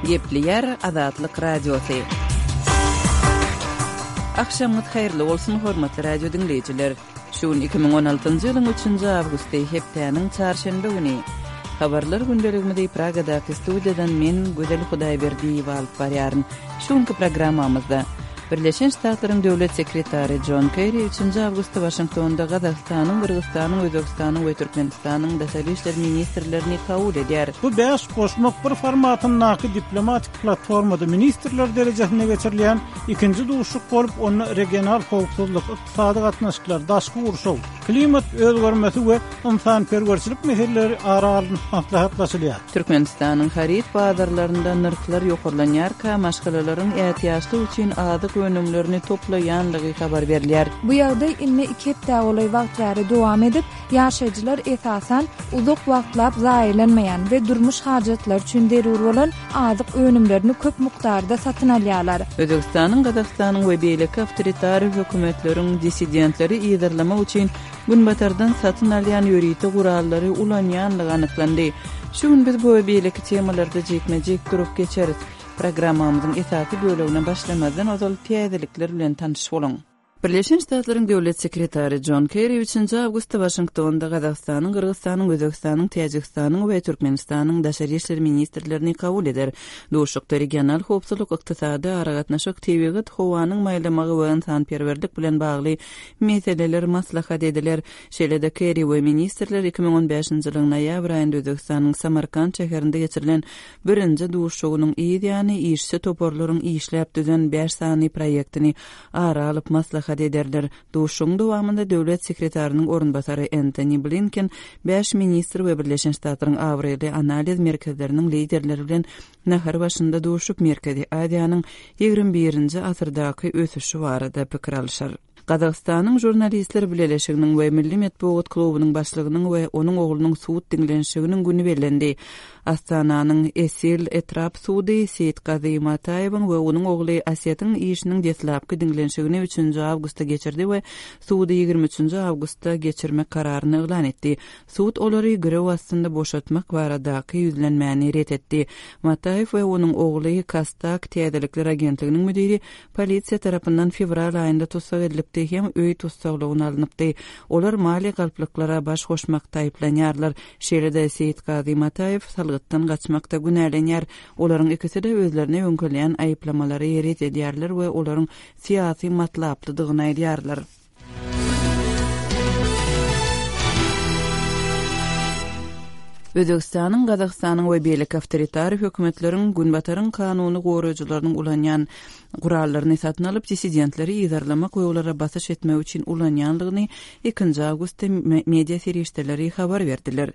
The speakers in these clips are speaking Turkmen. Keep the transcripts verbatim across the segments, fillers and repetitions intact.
Gepleýär Azatlyk Radiosy. Agşamyňyz haýyrly bolsun, hormatly radio diňleýjiler. Şu gün iki müň on altynjy ýylyň üçünji awgusty, hepdäniň çarşenbe güni. Habarlar gündeligimizi Pragadaky studiýadan men, Gözel Hudaýberdiýewa alyp barýaryn. Şu günki programmamyzda Birleşen Ştatlaryň Döwlet sekretary Jon Kerri üçünji awgustda Waşingtonda Gazagystanyň, Gyrgyzystanyň, Özbegistanyň we Türkmenistanyň daşary işler ministrlerini kabul edýär. Bu bäş goşmak bir formatyndaky diplomatik platformada ministrler derejesinde geçirilýän ikinji duşuşyk bolup, onda regional howpsuzlyk, ykdysady gatnaşyklar, daşky gurşaw, klimat özgermesi we ynsanperwerçilik meseleleri ara alnyp maslahatlaşylýar. Türkmenistanyň haryt bazarlarynda nyrhlar ýokarlanýarka, maşgalalaryň ätiýaçlyk üçin azyk önümlerini toplaýanlygy habar berilýär. Bu ýagdaý indi iki hepdä golaý wagt bäri dowam edip, ýaşaýjylar esasan uzak wagtlap zaýalanmaýan we durmuş hajatlary üçin zerur bolan azyk önümlerini köp mukdarda satyn alýarlar. Özbegistanyň, Gazagystanyň we beýleki awtoritar hökümetleriň dissidentleri yzarlamak üçin Günbatardan satyn alýan ýörite gurallary ulanýanlygy anyklandy. Şu gün biz bu we beýleki temalarda jikme-jik durup geçeris. Programmamyzyň esasy bölegine başlamazdan ozal täzelikler bilen tanyş boluň. Birleşen Ştatlaryň Döwlet sekretary Jon Kerri üçünji awgustda Waşingtonda Gazagystanyň, Gyrgyzystanyň, Özbegistanyň, Täjigistanyň we Türkmenistanyň daşary işler ministrlerini kabul eder. Duşuşykda regional howpsuzlyk, ykdysady aragatnaşyk, tebigat, howanyň maýlamagy we ynsanperwerlik bilen bagly meseleler maslahat ediler. Şeýle-de Kerri we ministrler iki müň on bäşinji ýylyň noýabr aýynda Özbegistanyň Samarkant şäherinde geçirilen birinji duşuşygynyň yz ýany işçi toparlaryň işläp düzen bäş sany proýektini ara alyp maslahat ederler. Duşuşygyň dowamynda döwlet sekretarynyň orunbasary Entoni Blinken bäş ministr we Birleşen Ştatlaryň abraýly analiz merkezleriniň liderleri bilen nahar başynda duşup, Merkezi Aziýanyň ýigrimi birinji asyrdaky ösüşi barada pikir alyşar. Gazagystanyň Žurnalistler bileleşiginiň we Milli metbugat klubunyň başlygynyň we onuň oglunyň sud diňlenişiginiň güni bellendi. Astananyň Esil etrap sudy Seýitgazy Mataýewiň we onuň ogly Asetiň işiniň deslapky diňlenişigini üçünji awgustda geçirdi we sudy ýigrimi üçünji awgustda geçirmek kararyny yglan etdi. Sud olary girew astynda boşatmak baradaky ýüzlenmäni ret etdi. Mataýew we onuň ogly Kastak täzelikler agentliginiň müdiri polisiýa tarapyndan fewral aýynda tussag edilipdi hem öý tussaglygyna alnypdy. Olar maliýe galplyklara baş goşmakda aýyplanýarlar. Şeýle-de Seýitgazy Mataýew salgytdan gaçmakda günälenýär. Olaryň ikisi-de özlerine ýöňkelýän aýyplamalary ret edýärler we olaryň syýasy matlaplydygyny aýdýarlar. Özbegistanyň, Gazagystanyň we beýleki awtoritar hökümetleriň Günbataryň kanuny goraýjylarynyň ulanýan gurallaryny satyn alyp, dissidentleri yzarlamak we olara basyş etmek üçin ulanýanlygyny ikinji awgustda media serişdeleri habar berdiler.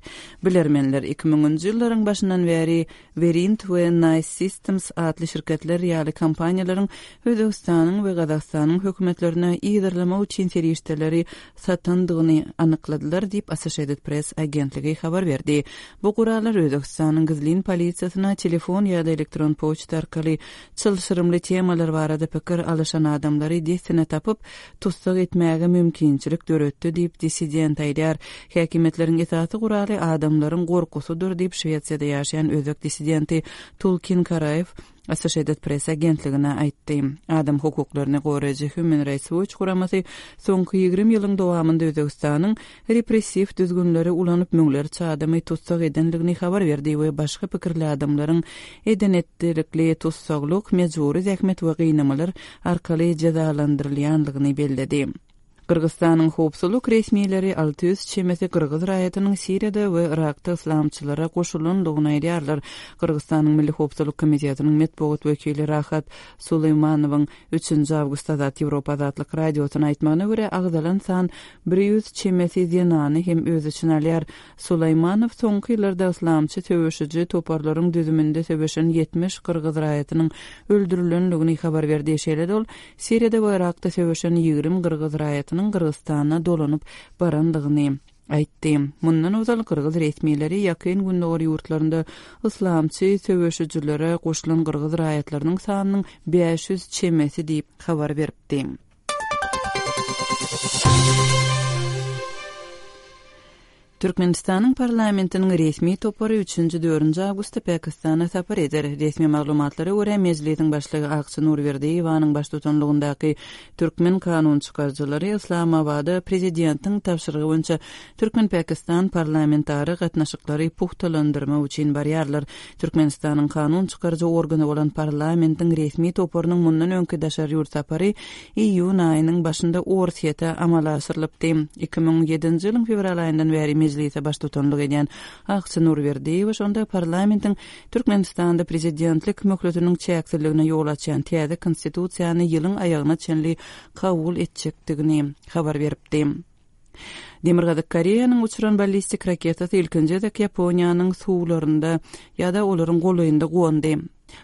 Bilermenler iki müňünji ýyllaryň başyndan bäri Verint we Nice Systems atly şirketler ýaly kompaniýalaryň Özbegistanyň we Gazagystanyň hökümetlerine yzarlamak üçin serişdeleri satandygyny anykladylar diýip, Associated Press agentligi habar berdi. Bu gurallar Özbegistanyň gizlin polisiýasyna telefon ýa-da elektron poçta arkaly çylşyrymly temalar barada pikir alyşan adamlary dessine tapyp, tussag etmäge mümkinçilik döretdi diýip, dissident aýdýar. Häkimiýetleriň esasy guraly adamlaryň gorkusydyr diýip, Şwesiýada ýaşaýan özbek dissidenti Tulkin Karaýew Associated Press agentligine aýtdy. Adam hukuklaryny goraýjy Human Rights Watch guramasy soňky ýigrimi ýylyň dowamynda Özbegistanyň repressiw düzgünleri ulanyp müňlerçe adamy tussag edendigini habar berdi we başga pikirli adamlaryň eden-etdilikli tussaglyk, mejbury zähmet we gynamalar arkaly jezalandyrylýandygyny belledi. Gyrgyzystanyň howpsuzlyk resmileri alty ýüz çemesi gyrgyz raýatynyň Siriýada we Yrakda yslamçylara goşulandygyny aýdýarlar. Gyrgyzystanyň Milli howpsuzlyk komitetiniň metbugat wekili Rahat Suleýmanowyň üçünji awgustda Azat Ýewropa Azatlyk Radiosyna aýtmagyna görä, agzalan san bir ýüz çemesi zenany hem öz içine alýar. Suleýmanow soňky ýyllarda yslamçy söweşiji toparlaryň düzüminde söweşen ýetmiş gyrgyz raýatynyň öldürilendigini habar berdi. Şeýle-de ol Siriýada we Yrakda söweşen ýigrimi gyrgyz raýatynyň Gyrgyzystana dolanyp barandygyny aýtdy. Mundan ozal gyrgyz resmileri Ýakyn Gündogar ýurtlarynda yslamçy söweşijilere goşulan gyrgyz raýatlarynyň sanynyň bäş ýüz çemesi diýip habar beripdi. Türkmenistanyň parlamentiniň resmi topary üçünji-dördünji awgustda Pakistana sapar eder. Resmi maglumatlara görä, Mejlisiň başlygy Akça Nurberdiýewanyň baştutanlygyndaky türkmen kanunçykaryjylary Yslamabada prezidentiň tabşyrygy boýunça türkmen-pakistan parlamentara gatnaşyklary pugtalandyrmak üçin barýarlar. Türkmenistanyň kanun çykaryjy organy bolan parlamentiň resmi toparynyň mundan öňki daşary ýurt sapary iýun aýynyň başynda Orsýete amala aşyrylypdy. Iki müň ýedinji ýylyň fewral aýyndan bäri Mejlise baştutanlyk edýän Akça Nurberdiýewa şonda parlamentiň Türkmenistanda prezidentlik möhletiniň çäksizligine ýol açýan täze Konstitusiýany ýylyň aýagyna çenli kabul etjekdigini habar beripdi. Demirgazyk Koreýanyň uçuran ballistik raketasy ilkinji gezek Ýaponiýanyň suwlarynda ýa-da olaryň golaýynda gondy.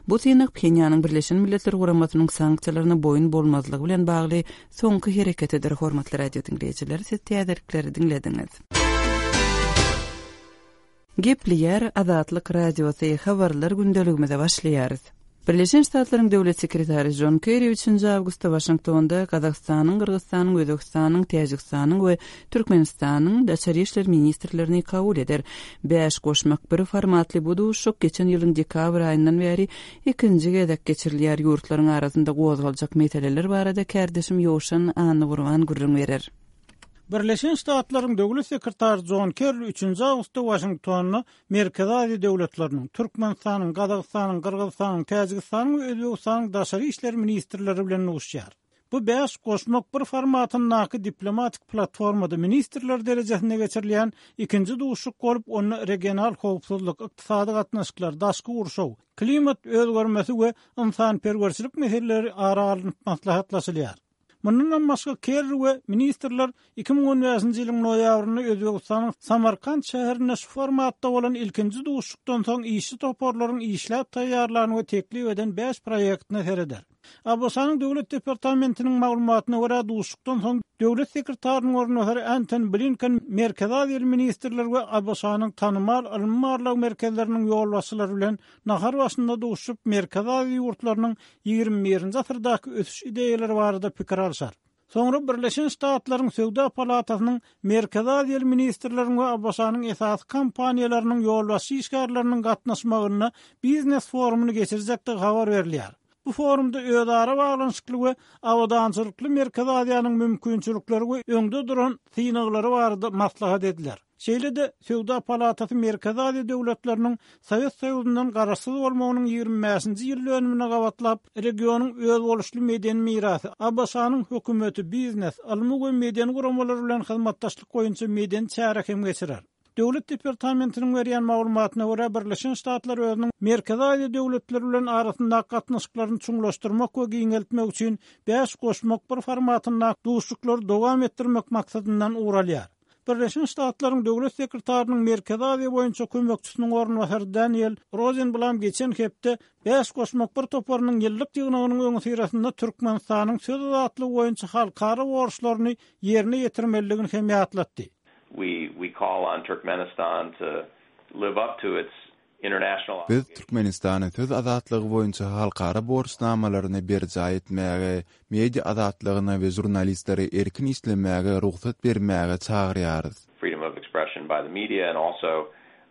Bu synag Phenýanyň Birleşen Milletler Guramasynyň sanksiýalaryna boýun bolmazlygy bilen bagly soňky hereketidir. Hormatly radio diňleýjiler, siz täzelikleri diňlediňiz. Gepleýär Azatlyk Radiosy, habarlar gündeligimize başlaýarys. Birleşen Ştatlaryň Döwlet sekretary Jon Kerri üçünji awgustda Waşingtonda Gazagystanyň, Gyrgyzystanyň, Özbegistanyň, Täjigistanyň we Türkmenistanyň daşary işler ministrlerini kabul eder. Bäş goşmak bir formatly bu duşuşyk geçen ýylyň dekabr aýyndan bäri ikinji gezek geçirilýär. Ýurtlaryň arasynda gozgaljak meseleler barada kärdeşim Ýowşan Annagurban gürrüň berer. Birleşen Ştatlaryň Döwlet sekretary Jon Kerri üçünji awgustda Waşingtonda Merkezi Aziýa döwletleriniň, Türkmenistanyň, Gazagystanyň, Gyrgyzystanyň, Täjigistanyň we Özbegistanyň daşary işler ministrleri bilen duşuşýar. Bu bäş goşmak bir formatyndaky diplomatik platformada ministrler derejesinde geçirilýän ikinji duşuşyk bolup, onda regional howpsuzlyk, ykdysady gatnaşyklar, daşky gurşaw, klimat özgermesi we ynsanperwerçilik meseleleri ara alnyp maslahatlaşylýar. Mundan başga Kerri we ministrler iki müň on bäşinji ýylyň noýabrynda Özbegistanyň Samarkant şäherinde şu formatda bolan ilkinji duşuşykdan soň işçi toparlaryň işläp taýýarlan we teklip eden bäş proýektine sereder. ABŞ-nyň Döwlet departamentiniň maglumatyna görä, duşuşykdan soň Döwlet sekretarynyň orunbasary Anton Blinken Merkezi Aziýa ministrleri we ABŞ-nyň tanymal ylmy-barlag merkezleriniň ýolbaşçylary bilen nahar başynda duşup, Merkezi Aziýa ýurtlarynyň ýigrimi birinji asyrdaky ösüş ideýalary barada pikir alşar. Soňra Birleşen Ştatlaryň Söwda palatasynyň Merkezi Aziýa ministrleriniň we ABŞ-nyň esasy kompaniýalarynyň ýolbaşçy işgärleriniň gatnaşmagynda biznes forumyny geçirjekdigi habar berilýär. Bu forumda özara baglanyşykly we abadançylykly Merkezi Aziýanyň mümkinçilikleri we öňde duran synaglary barada maslahat ediler. Şeýle-de Söwda palatasy Merkezi Aziýa döwletleriniň Sowet Soýuzyndan garaşsyz bolmagynyň ýigrimi bäşinji ýyl dönümine gabatlap, regionyň özboluşly medeni mirasy, ABŞ-nyň hökümeti, biznes, ylmy we medeni guramalar bilen hyzmatdaşlyk boýunça medeni çäre hem geçirer. Döwlet departamentiniň berýän maglumatyna görä, Birleşen Ştatlar özüniň Merkezi Aziýa döwletleri bilen arasyndaky gatnaşyklaryny çuňlaşdyrmak we giňeltmek üçin bäş goşmak bir formatynda duşuşyklary dowam etdirmek maksadyndan ugur alýar. Birleşen Ştatlaryň Döwlet sekretarynyň Merkezi Aziýa boýunça kömekçisiniň orunbasary Daniel Rosenblam geçen hepde bäş goşmak bir toparynyň ýyllyk ýygnagynyň öňüsyrasynda Türkmenistanyň söz azatlygy boýunça halkara borçlaryny ýerine ýetirmelidigini hem ýatlatdy. We, we call on Turkmenistan to live up to its international Biz Türkmenistany söz azatlygy boýunça halkara borçnamalaryny berjaý etmäge, media azatlygyna we žurnalistlere erkin işlemäge rugsat bermäge çagyrýarys. Freedom of expression by the media and also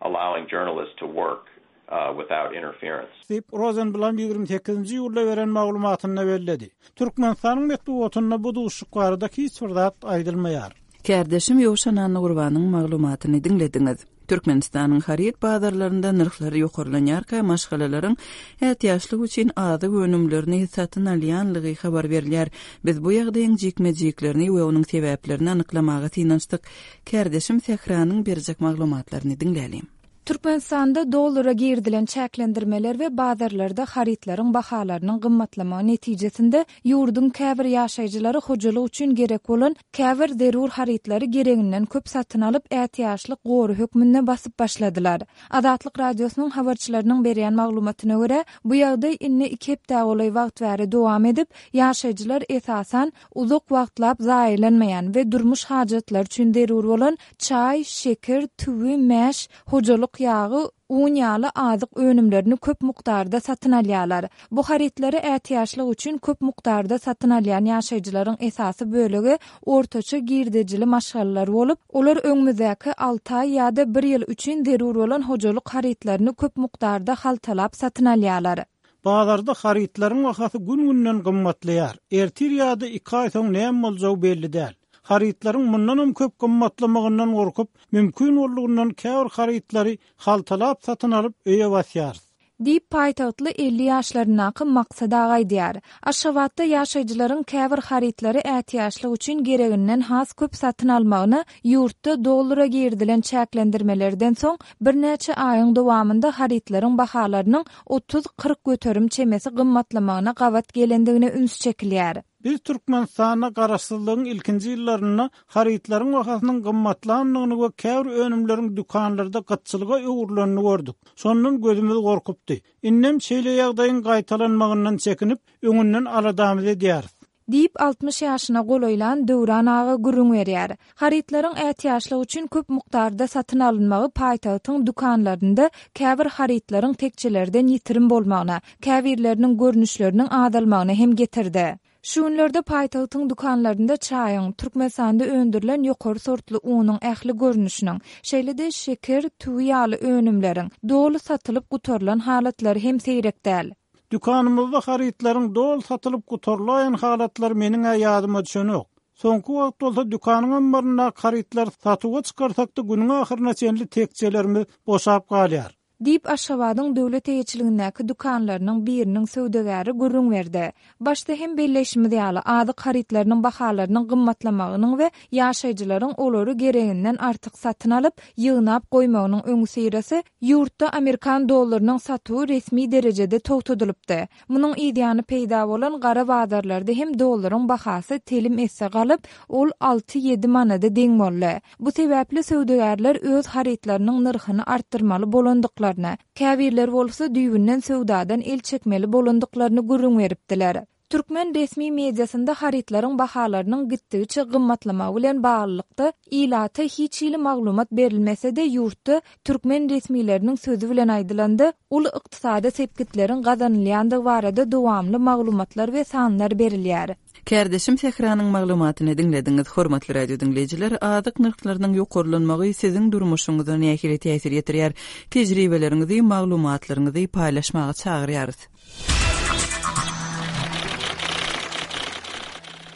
allowing journalists to work, uh, without interference. Diýip, Rosenblam ýigrimi sekizinji iýulda beren maglumatynda belledi. Türkmenistanyň metbugatynda bu duşuşyk barada hiç bir zat aýdylmaýar. Kärdeşim Ýowşan Annagurbanyň maglumatyny diňlediňiz. Türkmenistanyň haryt bazarlarynda nyrhlar ýokarlanýarka maşgalalaryň ätiýaçlyk üçin azyk önümlerini satyn alýanlygy habar berilýär. Biz bu ýagdaýyň jikme-jiklerini we onuň sebäplerini anyklamaga synanyşdyk. Kärdeşim Sähranyň berjek maglumatlaryny diňlälim. Türkmenistanda dollara girdilen çäklendirmeler we bazarlarda harytlaryň bahalarynyň gymmatlamagy netijesinde ýurduň käbir ýaşaýjylary hojalyk üçin gerek bolan käbir zerur harytlary gereginden köp satyn alyp ätiýaçlyk gory hökmünde basyp başladylar. Azatlyk radiosynyň habarçylarynyň berýän maglumatyna görä, bu ýagdaý indi iki hepde golaý wagt bäri dowam edip, ýaşaýjylar esasan uzak wagtlap zaýalanmaýan we durmuş hajatlary üçin zerur bolan çaý, şeker, tüwi, mäş, hojalyk towuk ýagy, un ýaly azyk önümlerini köp mukdarda satyn alýarlar. Bu harytlary ätiýaçlyk üçin köp mukdarda satyn alýan ýaşaýjylaryň esasy bölegi ortaça girdejili maşgalalar bolup, olar öňümizdäki alty aý ýa-da bir ýyl üçin zerur bolan hojalyk harytlaryny köp mukdarda haltalap satyn alýarlar. Bazarda harytlaryň bahasy gün-günden gymmatlaýar. Ertir ýa-da iki aý soň näme boljagy belli däl. Harytlaryň mundanam köp gymmatlamagyndan gorkup, mümkin boldugyndan käbir harytlary haltalap satyn alyp öýe basýarys. Diýip, paýtagtly elli ýaşlaryndaky Maksat aga aýdýar. Aşgabatda ýaşaýjylaryň käbir harytlary ätiýaçlyk üçin gereginden has köp satyn almagyna ýurtda dollara girizilen çäklendirmelerden soň birnäçe aýyň dowamynda harytlaryň bahalarynyň otuz-kyrk göterim çemesi gymmatlamagyna gabat gelendigine üns çekilýär. Biz Türkmenistanda garaşsyzlygyň ilkinji ýyllarynda harytlaryň bahasynyň gymmatlandygyny we käbir önümleriň dükanlarda gytçylyga öwrülenini gördük. Şondan gözümiz gorkupdy. Indem şeýle ýagdaýyň gaýtalanmagyndan çekinip, öňünden aladamyzy edýäris. Diýip, altmyş ýaşyna golaýlan Döwran aga gürrüň berýär. Harytlaryň ätiýaçlyk üçin köp mukdarda satyn alynmagy paýtagtyň dükanlarynda käbir harytlaryň tekjelerden ýitirim bolmagyna, käbirleriniň görnüşleriniň azalmagyna hem getirdi. Şu günlerde paýtagtyň dükanlarynda çaýyň, Türkmenistanda öndürilen ýokary sortly unuň ähli görnüşiniň, şeýle-de şeker, tüwi ýaly önümleriň doly satylyp gutarylan halatlary hem seýrek däl. Dükanymyzda harytlaryň doly satylyp gutarylaýan halatlary meniň-ä ýadyma düşenok. Soňky wagt bolsa dükanyň ammaryndaky harytlary satuwa çykarsak-da günüň ahyryna çenli tekjelerimiz boşap galýar. Diýip, Aşgabadyň döwlet eýeçiligindäki dükanlarynyň biriniň söwdagäri gürrüň berdi. Başda hem belleýşimiz ýaly, azyk harytlarynyň bahalarynyň gymmatlamagynyň we ýaşaýjylaryň olary gereginden artyk satyn alyp, ýygnap goýmagynyň öňüsyrasy ýurtda amerikan dollarynyň satuwy resmi derejede togtadylypdy. Munuň yzýany peýda bolan gara bazarlarda hem dollaryň bahasy telim esse galyp, ol alty-ýedi manada deň boldy. Bu sebäpli söwdagärler öz harytlarynyň nyrhyny artdyrmaly bolandyklaryny, käbirleri bolsa düýbünden söwdadan el çekmeli bolandyklaryny gürrüň beripdiler. Türkmen resmi mediasynda harytlaryň bahalarynyň gitdigiçe gymmatlamagy bilen baglylykda ilata hiç hili maglumat berilmese-de ýurtda türkmen resmileriniň sözi bilen aýdylanda uly ykdysady sepgitleriň gazanylýandygy barada dowamly maglumatlar we sanlar berilýär. Kärdeşim Sähranyň maglumatyny diňlediňiz. Hormatly radio diňleýjiler, azyk nyrhlarynyň ýokarlanmagy siziň durmuşyňyza nähili täsir ýetirýär? Tejribeleriňizi, maglumatlaryňyzy paýlaşmaga çagyrýarys.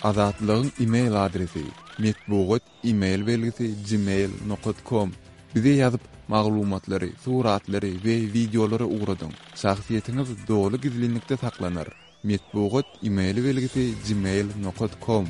Azatlygyň e-mail adresi metbugat e-mail belgisi gmail nokat com. Bize ýazyp, maglumatlary, suratlary we wideolary ugradyň. Şahsyýetiňiz doly gizlinlikde saklanar. Metbugat e-mail belgisi gmail nokat com.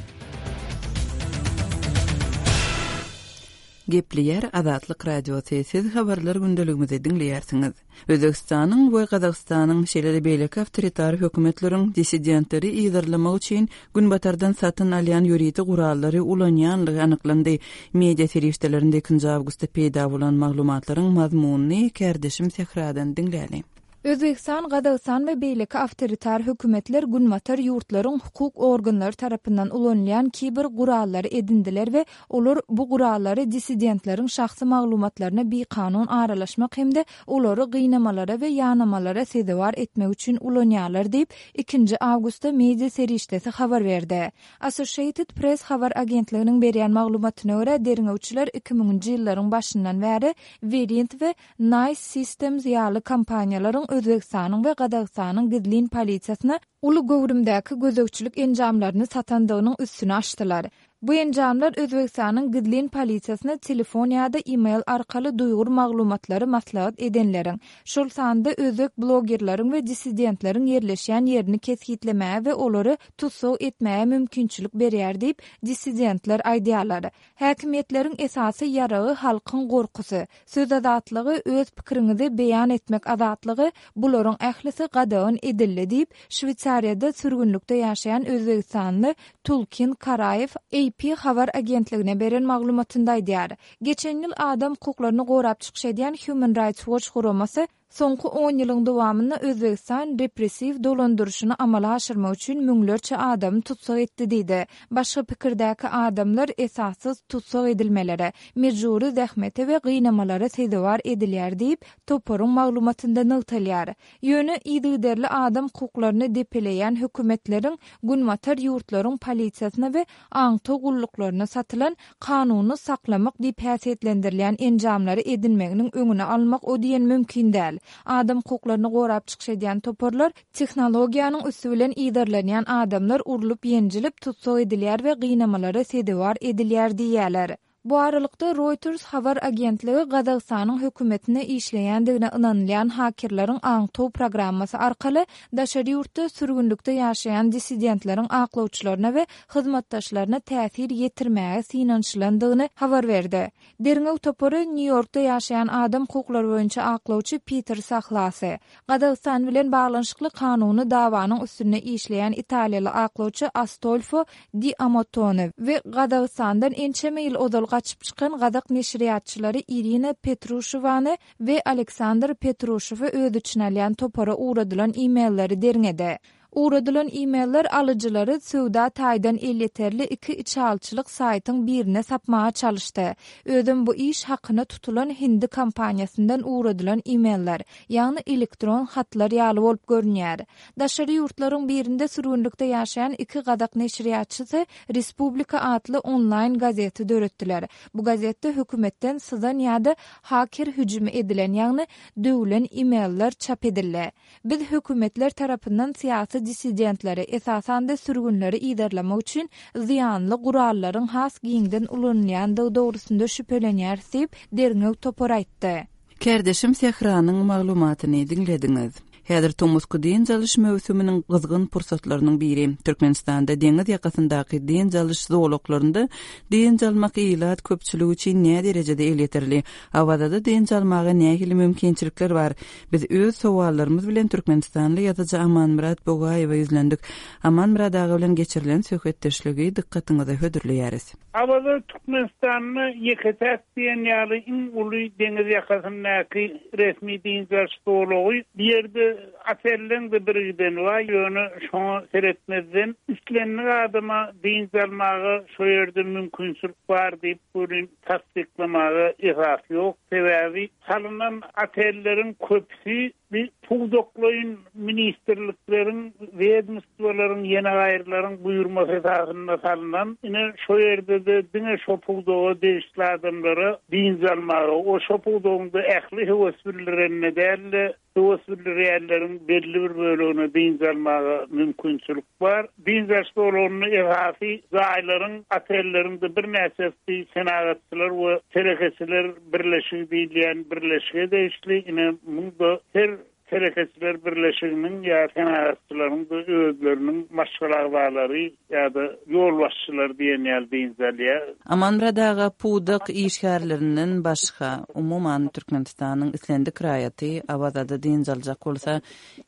Gepleýär Azatlyk Radiosy. Siz habarlar gündeligimizi diňleýärsiňiz. Özbekistanyň we Gazagystanyň şeýle-de beýleki awtoritar hökümetleriň dissidentleri yzarlamak üçin Günbatardan satyn alýan ýörite gurallary ulanýanlygy anyklandy. Media serişdelerinde ikinji awgustda peýda bolan maglumatlaryň mazmunyny kärdeşim Sähradan diňläli. Özbekistan, Gazagystan we beýleki awtoritar hökümetler Günbatar ýurtlaryň hukuk organlary tarapyndan ulanylýan kiber gurallary edindiler we olar bu gurallary dissidentleriň şahsy maglumatlaryna bikanun aralaşmak hem-de olary gynamalara we ýanamalara sezewar etmek üçin ulanýarlar diýip, ikinji awgustda media serişdesi habar berdi. Associated Press habar agentliginiň berýän maglumatyna görä, derňewçiler iki müňünji ýyllaryň başyndan bäri Verint we Nice Systems ýaly kompaniýalaryň Özbekistanyň we Gazagystanyň gizlin polisiýasyna uly göwrümdäki gözegçilik enjamlaryny satandygynyň üstüni açdylar. Bu enjamlar Özbekistanyň gizlin polisiýasyna telefon ýa-da e-mail arkaly duýgur maglumatlary maslahat edenleriň, şol sanda özbek blogerleriň we dissidentleriň ýerleşýän ýerini kesgitlemäge we olary tussag etmäge mümkinçilik berýär diýip, dissidentler aýdýarlar. Häkimiýetleriň esasy ýaragy halkyň gorkusy, söz azatlygy, öz pikiriňizi beýan etmek azatlygy, bularyň ählisi gadagan edildi diýip, Şweýsariýada sürgünlikde ýaşaýan özbegistanly Tulkin Karaýew A P habar agentligine beren maglumatynda aýdýar. Geçen ýyl adam hukuklaryny gorap çykyş edýän Human Rights Watch guramasy Soňky on ýylyň dowamynda Özbegistan repressiw dolandyryşyny amala aşyrmak üçin müňlerçe adamy tussag etdi diýdi. Başga pikirdäki adamlar esassyz tussag edilmelere, mejbury zähmete we gynamalara sezewar edilýär diýip, toparyň maglumatynda nygtalýar. Ýöne yzygiderli adam hukuklaryny depeleýän hökümetleriň Günbatar ýurtlaryň polisiýasyna we aňtaw gulluklaryna satylan kanuny saklamak diýip häsiýetlendirilýän enjamlary edinmeginiň öňüni almak o diýen mümkin däl. Adam hukuklaryny gorap çykyş edýän toparlar tehnologiýanyň üsti bilen yzarlanýan adamlar urlup ýenjilip tussag edilýär we gynamalara sezewar edilýär diýýärler. Bu aralykda Reuters habar agentligi Gazagystanyň hökümetine işleýändigine ynanylýan hakerleriň aňtaw programmasy arkaly daşary ýurtda sürgünlikde ýaşaýan dissidentleriň aklawçylaryna we hyzmatdaşlaryna täsir ýetirmäge synanyşylandygyny habar berdi. Derňew topary Nýu-Ýorkda ýaşaýan adam hukuklary boýunça aklawçy Peter Sahlasy, Gazagystan bilen baglanyşykly kanuny dawanyň üstünde işleýän italiýaly aklawçy Astolfo Di Amotone we Gazagystandan ençeme ýyl ozal gaçyp çykan gazak neşirýatçylary Irina Petruşewany we Aleksandr Petruşewi öz içine alýan topara ugradylan e-mailleri derňedi. Ugradylan e-mailler alyjylary söwda taýdan elýeterli iki içalyçylyk saýtyň birine sapmaga çalyşdy. Özem bu iş hakyna tutulan hindi kompaniýasyndan ugradylan e-mailler, ýagny elektron hatlar ýaly bolup görünýär. Daşary ýurtlaryň birinde sürgünlikde ýaşaýan iki gazak neşirýatçysy Respublika atly onlaýn gazeti döretdiler. Bu gazetde hökümetden syzan ýa-da haker hüjümi edilen, ýagny döwlen e-mailler çap edildi. Biz hökümetler tarapyndan syýasy dissidentleri, esasan-da sürgünleri yzarlamak üçin zyýanly gurallaryň has giňden ulanylýandygy dogrusynda şübhelenýäris diýip, derňew topary aýtdy. Kärdeşim Sähranyň maglumatyny diňlediňiz. Häzir tomusky dynç alyş möwsüminiň gyzgyn pursatlarynyň biri. Türkmenistanda deňiz ýakasyndaky dynç alyş zolaklarynda dynç almak ilat köpçüligi üçin nä derejede elýeterli? Awazada dynç almaga nähili mümkinçilikler bar? Biz öz sowallarymyz bilen Türkmenistanly ýazyjy Amanmyrat Bogaýewe ýüzlendik. Amanmyrat aga bilen geçirilen söhbetdeşligi dykgatyňyza hödürleýäris. Awaza Türkmenistanda ýeke-täk diýen ýaly iň uly deňiz ýakasyndaky resmi dynç alyş zolagy. Bu ýerde otelleň de bir giden bar, ýöne şoňa seretmezden islendik adama dynç almaga şo ýerde mümkinçilik bar diýip görün tassyklamaga esas ýok. Sebäbi salynan otelleriň köpüsi bir pudaklaýyn ministrlikleriň, wedomstwolaryň, ýene gaýrylaryň buýurmasy esasynda salynan, ine şo ýerde-de diňe şo pudaga degişli adamlara dynç almaga, o şo pudagyň da ähli höwes bildirenine däl-de, höwes bildirýänleriň belli bir bölegine dynç almaga mümkinçilik bar. Dynç alyş zolagynda esasy jaýlaryň, otelleriň de birnäçesi senagatçylar we telekeçiler birleşigi diýilýän birleşige degişli. Ine munda her telekeçiler birleşiginiň ýa senagatçylaryň da özleriniň maşgala agzalary ýa-da ýolbaşçylary diýen ýaly dynç alýar. Amanmyrat aga, pudak işgärlerinden başga umuman Türkmenistanyň islendik raýaty Awazada dynç aljak bolsa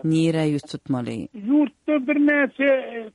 nirä ýüz tutmaly? Ýurtda birnäçe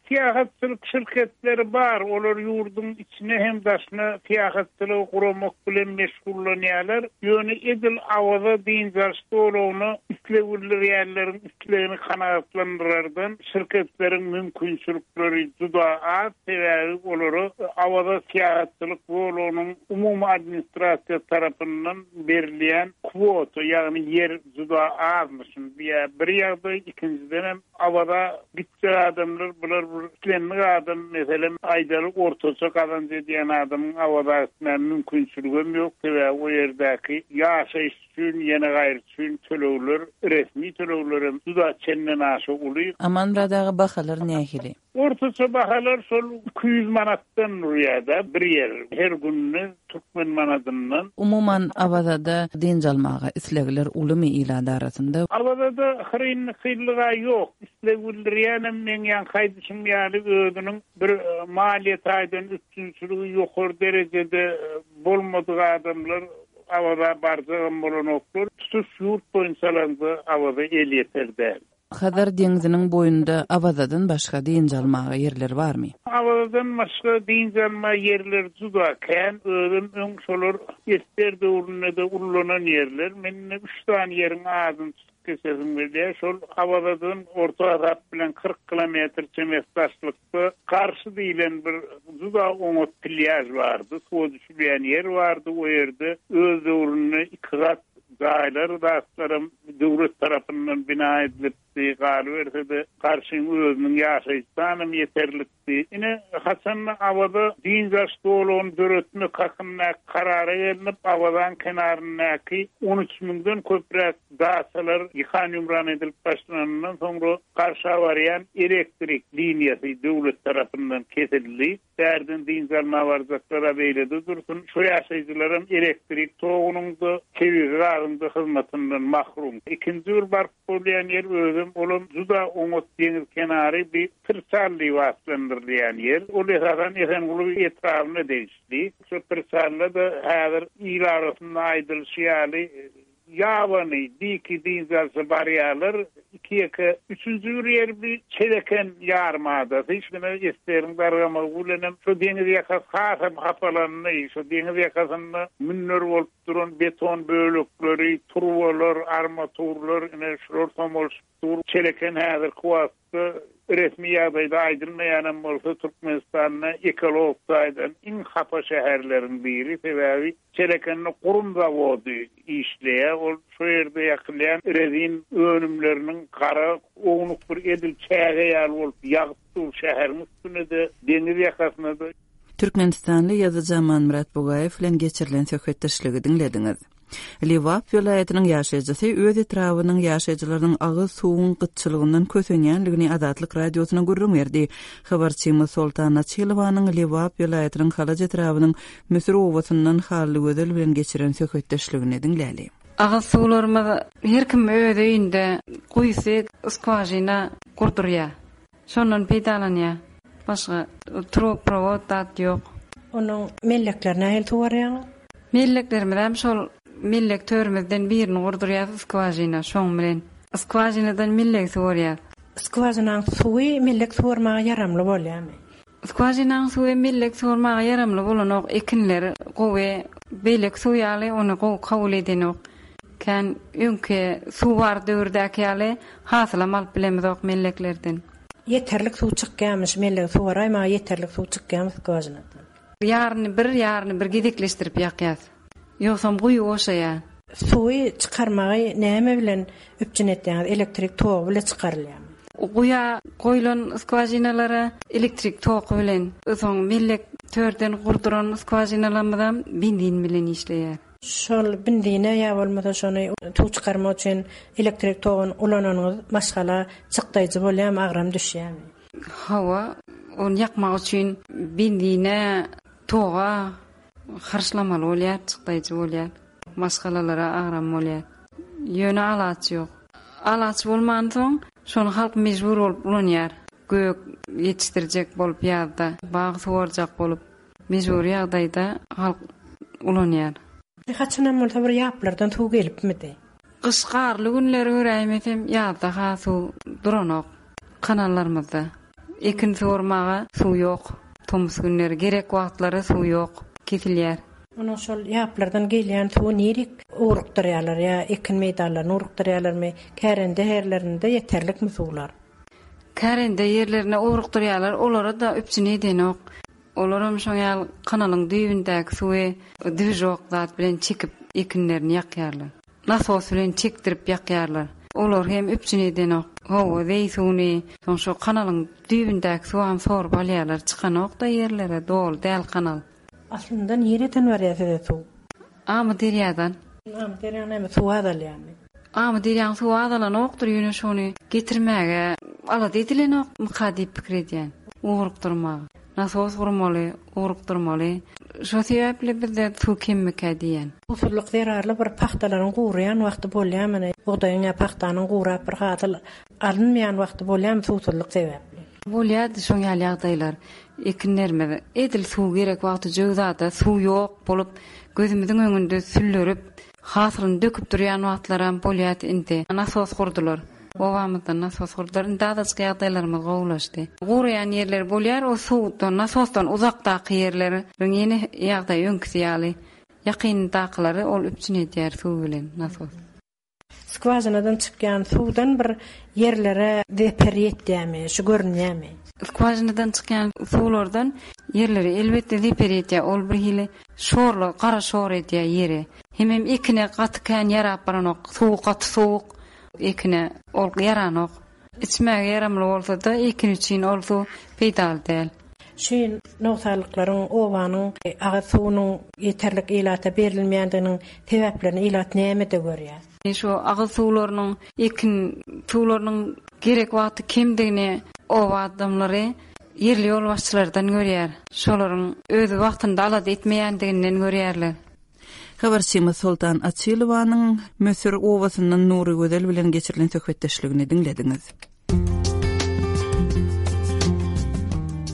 syýahatçylyk şirketleri bar. Olar ýurduň içine hem daşyna syýahatçylygy guramak bilen meşgullanýarlar. Ýöne edil Awaza dynç alyş zolagyna isleg bildirýänleriň islegini kanagatlandyrardan şirketleriň mümkinçilikleri juda az. Sebäbi olara Awaza syýahatçylyk zolagynyň umumy administrasiýa tarapyndan berilýän kwota, ýagny ýer juda azmyşyn. Bir ýagdaý, ikinjiden hem Awaza gitjek adamlar, bular bir islendik adam, meselem, aýdaly ortaça gazanç edýän adamyň Awaza gitmäge mümkinçiligi hem ýok. Sebäbi o ýerdäki ýaşaýyş üçin, ýene gaýry üçin tölegler, resmi tölegler hem juda çenden aşa uly. Amanmyrat aga, bahalar nähili? Ortaça bahalar şol iki ýüz manatdan durýar-da bir ýer, her gününe türkmen manadyndan. Umuman Awazada dynç almaga islegler ulumy ilat arasynda? Awazada hyryn-hyrlyga ýok. Isleg bildirýänem meň ýan haýdyşym ýaly özüniň bir maliýe taýdan üstünçiligi ýokary derejede bolmadyk adamlar Awaza barjagam bolanoklar. Tutuş ýurt boýunça alanda Awaza elýeter däl. Hazar deňziniň boýunda Awazadan başga dynç almaga ýerler barmy? Awazadan başga dynç alma ýerler juda kän. Özüm öň şolar esger döwründe-de ullanan ýerler. Men indi üç sany ýeriň adyny tutup geçesim gelýär. Şol Awazadan orta hasap bilen kyrk kilometr çemesi daşlykda Garşy diýlen bir juda oňat plýaž bardy. Suwa düşülýän ýer bardy. O ýerde öz döwründe iki gat jaýlar zatlaram döwlet tarapyndan bina edilipdi, galyberse-de, Garşyň özüniň ýaşaýyş sanam ýeterlikdi. Ine, haçan-da Awaza dynç alyş zolagyny döretmek hakyndaky karara gelnip, Awazaň kenaryndaky on üç müňden köpräk daçalar ýykan-ýumran edilip başlananyndan soňra Garşa barýan elektrik liniýasy döwlet tarapyndan kesildi. Bärden dynç almaga barjaklar-a beýlede dursun, şu ýaşaýjylaram elektrik togunyň-da, tebigy gazyň-da hyzmatyndan mahrum. Ikinji bir baryp bolýan ýer özem, olam juda oňat deňiz kenary bi Pyrçal diýip atlandyrylýan ýer. Ol esasan Esenguly etrabyna degişli. Şu Pyrçalda-da häzir il arasynda aýdylyşy ýaly, ýabany, diki dynç alşa barýarlar. Iki-ýeke, üçünji bir ýer bi Çeleken ýarym adasy. Şuna esgeriň dargamagy bilenem şu deňiz ýakasy hasam hapalandy. Şu deňiz ýakasynda münler bolup duran beton bölekleri, turbalar, armaturlar, ine şular somalyşyp dur. Çeleken häzirki wagtda resmi ýagdaýda aýdylmaýanam bolsa Türkmenistanda ekologik taýdan iň hapa şäherleriň biri. Sebäbi Çelekende gurum zawody işleýär. Ol şu ýerde ýakylýan rezin önümleriniň gara ownuk bir edil çäge ýaly bolup ýagyp dur şäheriň üstüne-de, deňiz ýakasyna-da. Türkmenistanly ýazyjy Amanmyrat Bugaýew bilen geçirilen söhbetdeşligi diňlediňiz. Lebap welaýatynyň ýaşaýjysy öz etrabynyň ýaşaýjylarynyň agyz suwuň gytçylygyndan kösenýänligini Azatlyk Radiosyna gürrüň berdi. Habarçymyz Soltan Açylowanyň Lebap welaýatynyň Halaç etrabynyň Müsür obasyndan Hallygözel bilen geçiren söhbetdeşligini diňläli. Agyz suwlarymyz her kim öz öýünde guýusy skwažina gurdurýar. Şondan peýdalanýar. Başga truboprovod zat ýok. Onuň mellekleri nähili suwarýaňyz? Melleklerimiz hem şol mellek törümizden birini gurdurýar skwažina şoň bilen. Skwažinadan mellek suwarýar. Skwažinaň suwy mellek suwarmaga ýaramly bolýarmy? Skwažinaň suwy mellek suwarmaga ýaramly bolanok, ekinler gowy, beýleki suw ýaly ony gowy kabul edenok. Kän öňki suw bar döwürdäki ýaly hasylam alyp bilemizok melleklerden. Ýeterlik suw çykýarmyş, mellek suwaraýmaga ýeterlik suw çykýarmy skwažinadan? Ýaryny bir, ýaryny bir gezekleşdirip ýakýas. Ýogsam guýy boşaýar. Suwy çykarmagy näme bilen üpjün etýäňiz? Elektrik togy bilen çykarylýarmy? Guýa goýlan skwažinalara elektrik togy bilen, soň mellek törden gurduran skwažinalarymyzam benzin bilen işleýär. Şol benzine ýa bolmasa şony suw çykarmak üçin elektrik togyny ulananyňyz maşgala çykdaýjy bolýarmy, agram düşýärmi? Hawa, ony ýakmak üçin benzine, toga harçlamaly bolýar, çykdaýjy bolýar. Maşgalalara agram bolýar. Ýöne alaç ýok. Alaç bolmansoň, şony halk mejbur bolup ulanýar. Gök ýetişdirjek bolup ýazda, bag suwarjak bolup mejbur ýagdaýda halk ulanýar. Haçanam bolsa bir ýaplardan suw gelipmidi? Gyş garly günleri göräýmesem, ýazda ha suw duranok kanallarymyzda. Ekin suwarmaga suw ýok. Tomus günleri gerek wagtlary suw ýok, kesilýär. Onuň şol ýaplardan gelýän suwy nirik ugrukdyrýarlar ýa ekin meýdanlaryny ugrukdyrýarlarmy? Kärende ýerlerinde ýeterlikmi suwlar? Kärende ýerlerine ugrukdyrýarlar, olara da üpjün edenok. Olaram şoň ýaly kanalyň düýbündäki suwy dwižok zat bilen çekip ekinlerini ýakýarlar. Nasos bilen çekdirip ýakýarlar. Olar hem üpjün edenok. Hawa, zeý suwuny, soň şo kanalyň düýbündäki suwy sorup alýarlar. Çykanok da ýerlere, doly däl kanal. Aslynda nireden barýar size suw? Amy derýadan. Amy derýadan näme suw azalýarmy? Amy derýaň suwy azalanokdyr, ýöne şony getirmäge alada edilenok myka diýip pikir edýän. Ugrukdyrmaga. Nasos gurmaly, ugrukdyrmaly. Şo sebäpli bizde suw kemmikä diýen. Suwsuzlyk zerarly bir pahtalaryň guraýan wagty bolýarmy? Bugdaýyň ýa pahtanyň gurap bir hasyl alynmaýan wagty bolýarmy suwsuzlyk sebäpli? Bolýardy şoň ýaly ýagdaýlar. Ekinlerimiz edil suw gerek wagty jöwzada suw ýok bolup gözümiziň öňünde süllerip hasylyny döküp durýan wagtlaram bolýardy indi. Nasos gurdular. Obamyzda nasos gurdular. Indi azajyk ýagdaýlarymyz gowulaşdy. Guraýan ýerleri bolýar, o suwdan, nasosdan uzakdaky ýerleriň ýene ýagdaýy öňküsi ýaly. Ýakyndakylary ol üpjün edýär suw bilen nasos. Skwažinadan çykýan suwdan bir ýerlere zeper ýetýärmi, şu görünýärmi? Skwažinadan çykýan suwlardan ýerlere elbetde zeper ýetýär. Ol bir hili şorly, gara şor edýär ýeri. Hemem ekine gaty kän ýarap baranok. Suwy gaty sowuk, ekine ol ýaranok. Içmäge ýaramly bolsa-da, ekin üçin ol suw peýdaly däl. Şu nogsanlyklaryň obanyň agyz suwunyň ýeterlik ilata berilmeýändiginiň sebäplerini ilat nämede görýär? Şu agyz suwlarynyň, ekin suwlarynyň gerek wagty kemdigini oba adamlary ýerli ýolbaşçylardan görýär. Şolaryň öz wagtynda alada etmeýändiginden görýärler. Habarçymyz Soltan Açylowanyň Müsür obasyndan Nurygözel bilen geçirilen söhbetdeşligini diňlediňiz.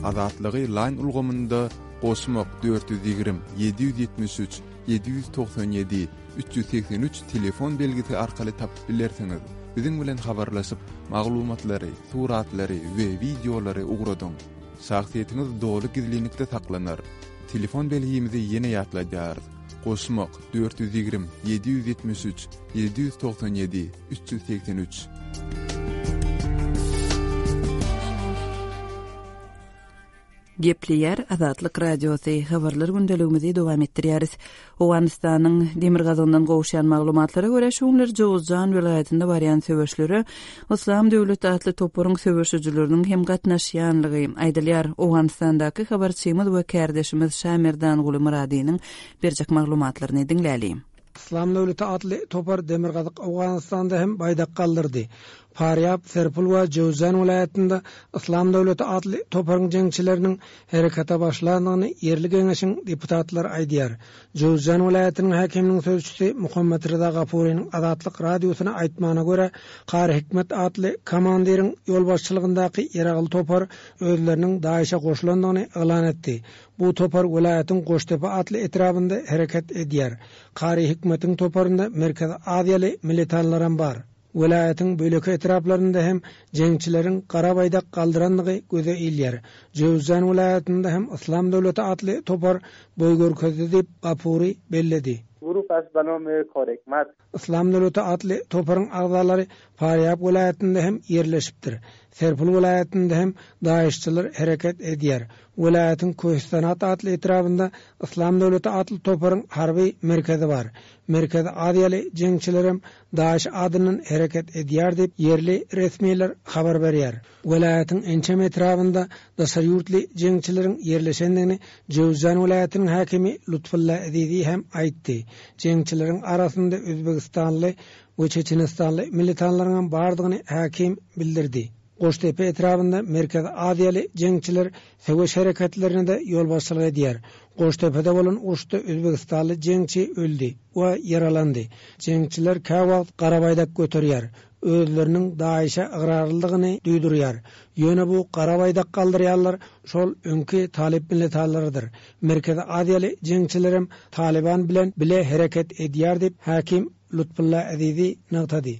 Azatlygy Line ulgamynda goşmak dört ýüz ýigrimi, ýedi ýüz ýetmiş üç, ýedi ýüz togsan ýedi, üç ýüz segsen üç telefon belgisi arkaly tapyp bilersiňiz. Biziň bilen habarlaşyp, maglumatlary, suratlary we wideolary ugradyň. Şahsyýetiňiz doly gizlinlikde saklanar. Telefon belgimizi ýene ýatladýarys. Goşmak dört ýüz ýigrimi, ýedi ýüz ýetmiş üç, ýedi ýüz togsan ýedi, üç ýüz segsen üç. Gepleýär Azatlyk Radiosy, habarlar gündeligimizi dowam etdirýäris. Owganystanyň demirgazygyndan gowuşýan maglumatlara görä, şu günler Jowuzjan welaýatynda barýan söweşlere Yslam döwleti atly toparyň söweşijileriniň hem gatnaşýanlygy aýdylýar. Owganystandaky habarçymyz we kärdeşimiz Şamerdanguly Myradynyň berjek maglumatlaryny diňläli. Yslam döwleti atly topar demirgazyk Owganystanda hem baýdak galdyrdy. Farýab, Serpul we Jowzjan welaýatynda Yslam döwleti atly toparyň jeňçileriniň herekete başlandygyny ýerli geňeşiň deputatlary aýdýar. Jowzjan welaýatynyň häkiminiň sözçüsi Muhammet Reza Gafurynyň Azatlyk radiosyna aýtmagyna görä, Kary Hikmet atly komandiriň ýolbaşçylygyndaky ýeragly topar özleriniň Daişe goşulandygyny yglan etdi. Bu topar welaýatyň Goştepe atly etrabynda hereket edýär. Kary Hikmetiň toparynda Merkezi Aziýaly militanlaram bar. Welaýatyň böleki etraplarynda hem jeňçileriň gara baýdak galdyrandygy göze ilýär. Jowzjan welaýatynda hem Yslam döwleti atly topar boý görkezdi diýip Gapuri belledi. Grup as banome Korekmat. Yslam döwleti atly toparyň agzalary Farýab welaýatynda hem ýerleşipdir. Serpul welaýatynda hem Daişçiler hereket edýär. Welaýatyň Köhistanat atly etrabynda Yslam döwleti atly toparyň harby merkezi bar. Merkezi Aziýaly jeňçilerem Daiş adyndan hereket edýär diýip ýerli resmiler habar berýär. Welaýatyň ençeme etrabynda daşary ýurtly jeňçileriň ýerleşendigini Jowzjan welaýatynyň häkimi Lutfulla Azizi hem aýtdy. Jeňçileriň arasynda Özbegistanly we Çeçenistanly militanlaryň hem bardygyny häkim bildirdi. Goştepe etrabynda Merkezi Aziýaly jeňçiler söweş hereketlerine de ýolbaşçylyk edýär. Goştepede bolan uruşda Özbegistanly jeňçi öldi we ýaralandy. Jeňçiler käwagt gara baýdak göterýär. Özleriniň Daişe ygrarlydygyny duýdurýar. Ýöne bu gara baýdak galdyrýarlar şol öňki Talip militanlarydyr. Merkezi Aziýaly jeňçilerem Taliban bilen bile hereket edýär diýip häkim Lutfulla Azizi nygtady.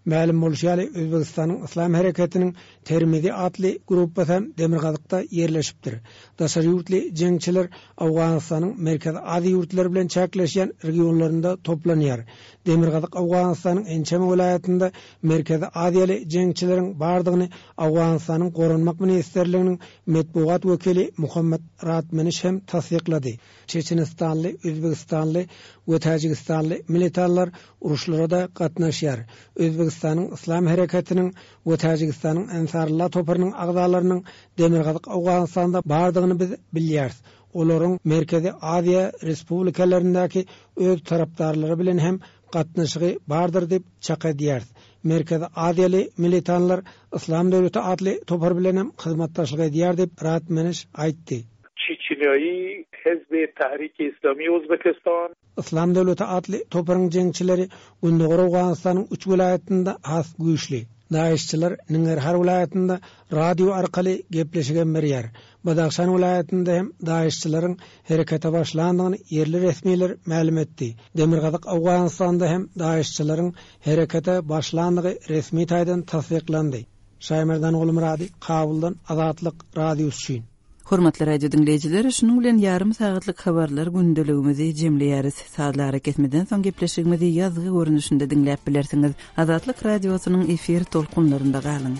Mälim bolşy ýaly Özbegistanyň Yslam hereketiniň Termizi atly gruppasy hem demirgazykda ýerleşipdir. Daşary ýurtly jeňçiler Owganystanyň Merkezi Aziýa ýurtlary bilen çäkleşýän regionlarynda toplanýar. Demirgazyk Owganystanyň ençeme welaýatynda Merkezi Aziýaly jeňçileriň bardygyny Owganystanyň Goranmak Ministerliginiň metbugat wekili Muhammed Ratmeniş hem tassyklady. Çeçenistanly, Özbegistanly we Täjigistanly militanlar uruşlara da gatnaşýar. Özbegistanyň Yslam hereketiniň we Täjigistanyň Ensarullah toparynyň agzalarynyň Demirgazyk Owganystanda bardygyny biz bilýäris. Olaryň Merkezi Aziýa Respublikalaryndaky öz tarapdarlary bilen hem gatnaşygy bardyr diýip çak edýäris. Merkezi Aziýaly militanlar Yslam döwleti atly topar bilen hem hyzmatdaşlyk edýär diýip Ratmeniş aýtdy. Çeçenýaýy Hizb Tahrik Islami Özbekistan. Yslam döwleti atly toparyň jeňçileri Gündogar Owganystanyň üç welaýatynda has güýçli. DAEŞ-çiler Nangarhar welaýatynda radio arkaly gepleşigem berýär. Badahşan welaýatynda hem DAEŞ-çileriň herekete başlandygyny ýerli resmiler mälim etdi. Demirgazyk Owganystanda hem DAEŞ-çileriň herekete başlandygy resmi taýdan tassyklandy. Şaýmerdan Gulmyrady, Kabuldan Azatlyk Radiosy üçin. Hormatly radio diňleýjiler, şunuň bilen ýarym sagatlyk habarlar gündeligimizi jemleýäris. Sazly arakesmeden soň gepleşigimizi ýazgy görnüşinde diňläp bilersiňiz. Azatlyk Radiosynyň efir tolkunlarynda galyň.